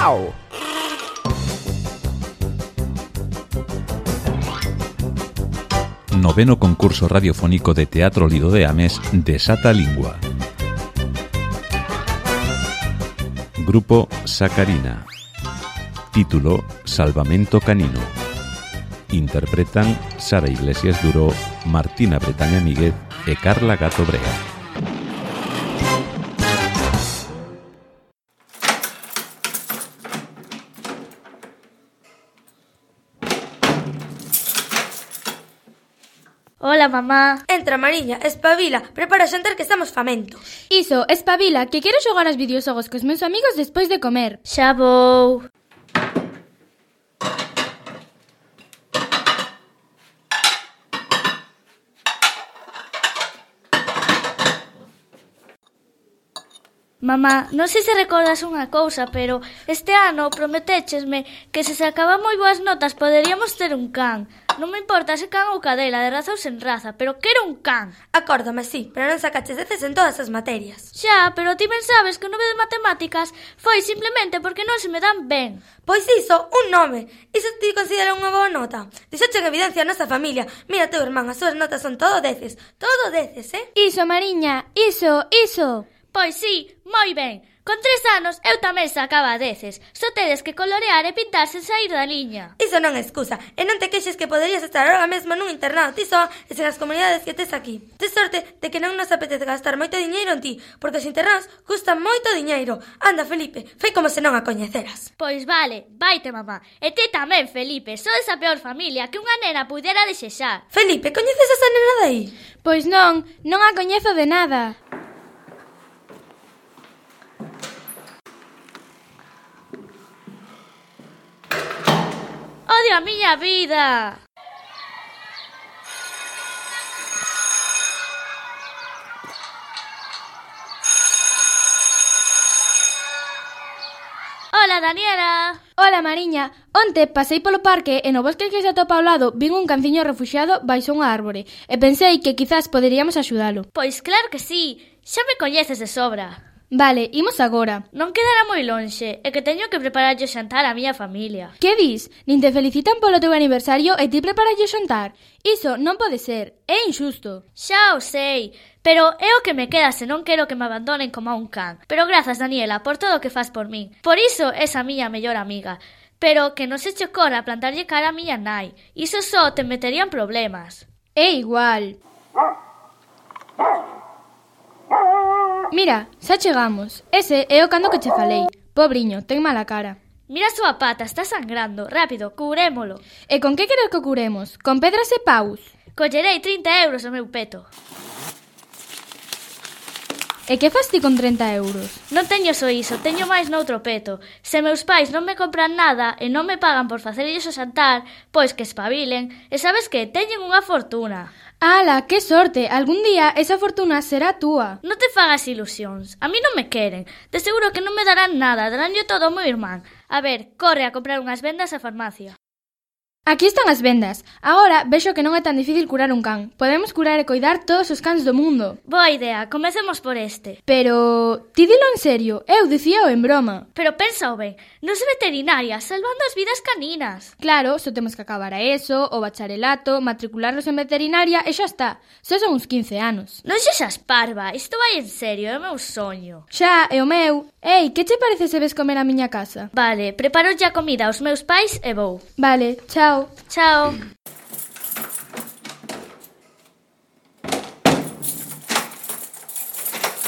Au! Noveno concurso radiofónico de Teatro Lido de Ames Desata Lingua. Grupo Sacarina. Título Salvamento Canino. Interpretan Sara Iglesias Duró, Martina Bretaña Míguez e Carla Gato Brea. Hola, mamá. Entra, Mariña, espabila, prepara o xantar que estamos famentos. Iso, espabila, que quero xogar aos videoxogos cos meus amigos despois de comer. Xa vou. Mamá, non sei se recordas unha cousa, pero este ano prometéchesme que se sacaban moi boas notas poderíamos ter un can. Non me importa se can ou cadela, de raza ou sen raza, pero quero un can. Acórdame, sí, pero non sacaches 10 en todas as materias. Xa, pero ti ben sabes que o 9 de matemáticas foi simplemente porque non se me dan ben. Pois iso, un nome. Iso ti considera unha boa nota. Dixoche en evidencia a nosa familia. Mira teu irmán, as súas notas son todo 10, Iso, Mariña, iso. Pois sí, moi ben. Con 3 anos eu tamén sacaba 10. Só tedes que colorear e pintar sen sair da liña. Iso non é excusa. E non te queixes que poderías estar agora mesmo nun internado ti só e sen as comunidades que tes aquí. Tes sorte de que non nos apetece gastar moito diñeiro en ti, porque os internados custan moito diñeiro. Anda, Felipe, fai como se non a coñeceras. Pois vale, vaite, mamá. E ti tamén, Felipe, sodes a peor familia que unha nena pudera desexar. Felipe, coñeces esa nena de aí? Pois non a coñezo de nada. Odio a miña vida. Hola, Daniela. Hola, Mariña. Onte pasei polo parque e no bosque que se atopa ao lado vin un canciño refuxiado baixo unha árbore e pensei que quizás poderíamos axudalo. Pois claro que sí. Xa me coñeces de sobra. Vale, imos agora. Non quedará moi lonxe, é que teño que prepararlle o xantar á miña familia. Que dis? Nin te felicitan polo teu aniversario e ti prepararlle o xantar? Iso non pode ser, é injusto. Xa o sei, pero é o que me queda se non quero que me abandonen como a un can. Pero grazas, Daniela, por todo o que fas por min. Por iso és a miña mellor amiga. Pero que non se che ocorra plantarlle cara a miña nai. Iso só te meterían problemas. É igual. Mira, xa chegamos. Ese é o cando que che falei. Pobriño, ten mala cara. Mira a súa pata, está sangrando. Rápido, cubrémolo. E con que queres que o curemos? Con pedras e paus? Collerei 30 euros o meu peto. E que fas ti con 30 euros? Non teño só iso, teño máis noutro peto. Se meus pais non me compran nada e non me pagan por facerlles o xantar, pois que espabilen. E sabes que? Teñen unha fortuna. Ala, que sorte! Algún día esa fortuna será túa. Non te fagas ilusións. A mí non me queren. De seguro que non me darán nada, daránlle todo ao meu irmán. A ver, corre a comprar unhas vendas á farmacia. Aquí están as vendas. Agora vexo que non é tan difícil curar un can. Podemos curar e coidar todos os cans do mundo. Boa idea, comecemos por este. Pero, ti dilo en serio, eu dicíao en broma. Pero pensa ben, nos veterinarias, salvando as vidas caninas. Claro, só temos que acabar a ESO, o bacharelato, matricularnos en veterinaria e xa está. Só son uns 15 anos. Non xexas parva, isto vai en serio, é o meu soño. Xa, é o meu. Ei, que che parece se ves comer a miña casa? Vale, preparo xa comida aos meus pais e vou. Vale, chao. Chao.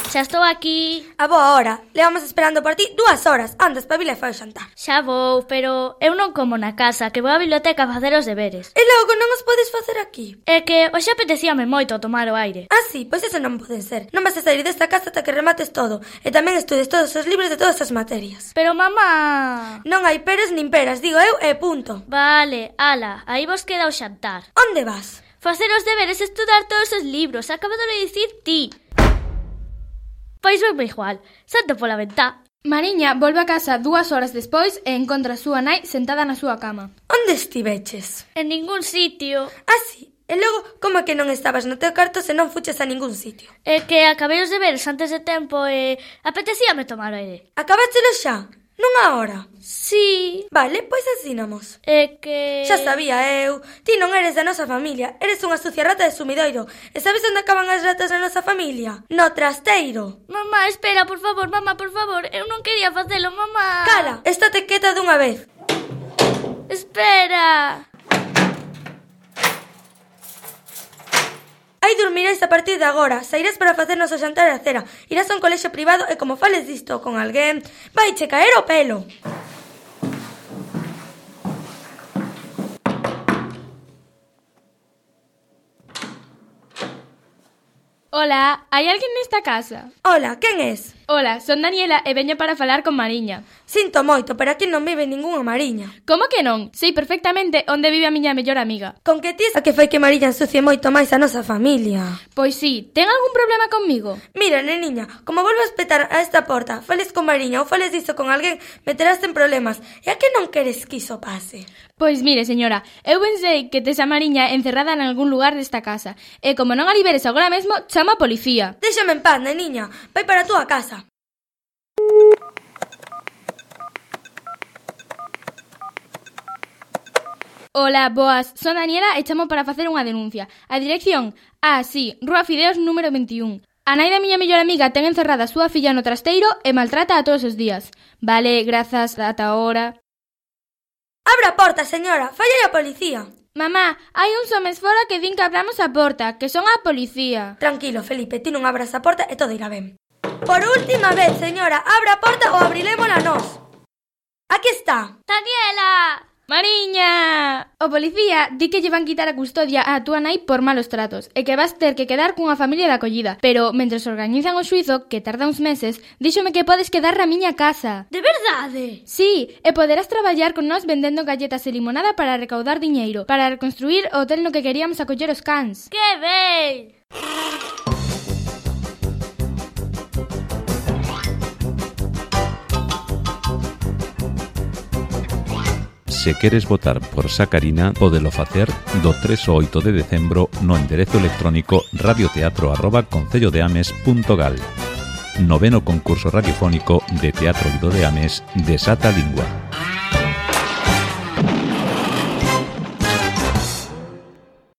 Xa estou aquí. A boa hora. Levamos esperando por ti 2 horas. Anda, espabila e fai o xantar. Xa vou, pero eu non como na casa, que vou á biblioteca a facer os deberes. E logo non os podes facer aquí? É que hoxe apetecíame moito tomar o aire. Ah, sí, pois eso non pode ser. Non vas a sair desta casa ata que remates todo. E tamén estudes todos os libros de todas as materias. Pero, mamá... Non hai peres nin peras, digo eu e punto. Vale, ala, aí vos queda o xantar. Onde vas? Facer os deberes e estudar todos os libros. Acabado de dicir ti. Pois venme igual, salto pola ventá. Mariña volve a casa 2 horas despois e encontra a súa nai sentada na súa cama. Onde estiveches? En ningún sitio. Ah, sí. E logo, como que non estabas no teu carto se non fuches a ningún sitio? É que acabei os deberes antes de tempo e apetecíame tomar aire. Acabáchelo xa? Non nunha hora? Sí. Vale, pois asínamos. É que... Xa sabía eu. Ti non eres da nosa familia, eres unha sucia rata de sumidoiro. E sabes onde acaban as ratas da nosa familia? No trasteiro. Mamá, espera, por favor, mamá, por favor. Eu non quería facelo, mamá. Cala, estate quieta dunha vez. Espera. Aí dormiréis a partir de agora. Sairás para facernos o xantar e a cera. Irás a un colexio privado e como fales disto con alguén, vaiche caer o pelo. Hola, hai alguén nesta casa? Hola, quen es? Hola, son Daniela e veño para falar con Mariña. Sinto moito, pero aquí non vive ningunha Mariña. Como que non? Sei perfectamente onde vive a miña mellor amiga. Con que ti a que fai que Mariña ensucie moito máis a nosa familia? Pois sí, ten algún problema comigo? Mira, neniña, como volvas petar a esta porta, fales con Mariña ou fales diso con alguén, meterás en problemas. E a que non queres que iso pase? Pois mire, señora, eu pensei que tes a Mariña encerrada en algún lugar desta casa. E como non a liberes agora mesmo, chama a policía. Déxame en paz, neniña. Vai para a túa casa. Hola, boas, son Daniela e chamo para facer unha denuncia. A dirección? Sí, Rúa Fideos número 21. A nai da miña mellor amiga ten encerrada a súa filla no trasteiro e maltrata a todos os días. Vale, grazas, ata ahora. Abra a porta, señora, falla a policía. Mamá, hai uns homes fora que din que abramos a porta, que son a policía. Tranquilo, Felipe, ti non abras a porta e todo irá ben. Por última vez, señora, abra a porta ou abrilémola nós. Aquí está. Daniela! Mariña! O policía di que lle van quitar a custodia a túa nai por malos tratos e que vas ter que quedar cunha familia de acollida. Pero, mentres organizan o xuizo, que tarda uns meses, díxome que podes quedar na miña casa. De verdade? Sí, e poderás traballar con nós vendendo galletas e limonada para recaudar diñeiro, para reconstruir o hotel no que queríamos acoller os cans. Que ben! Se queres votar por Sacarina, pódelo facer do 3 ao 8 de decembro no enderezo electrónico radioteatro@concellodeames.gal. Noveno concurso radiofónico de Teatro Lido de Ames de Sata Lingua.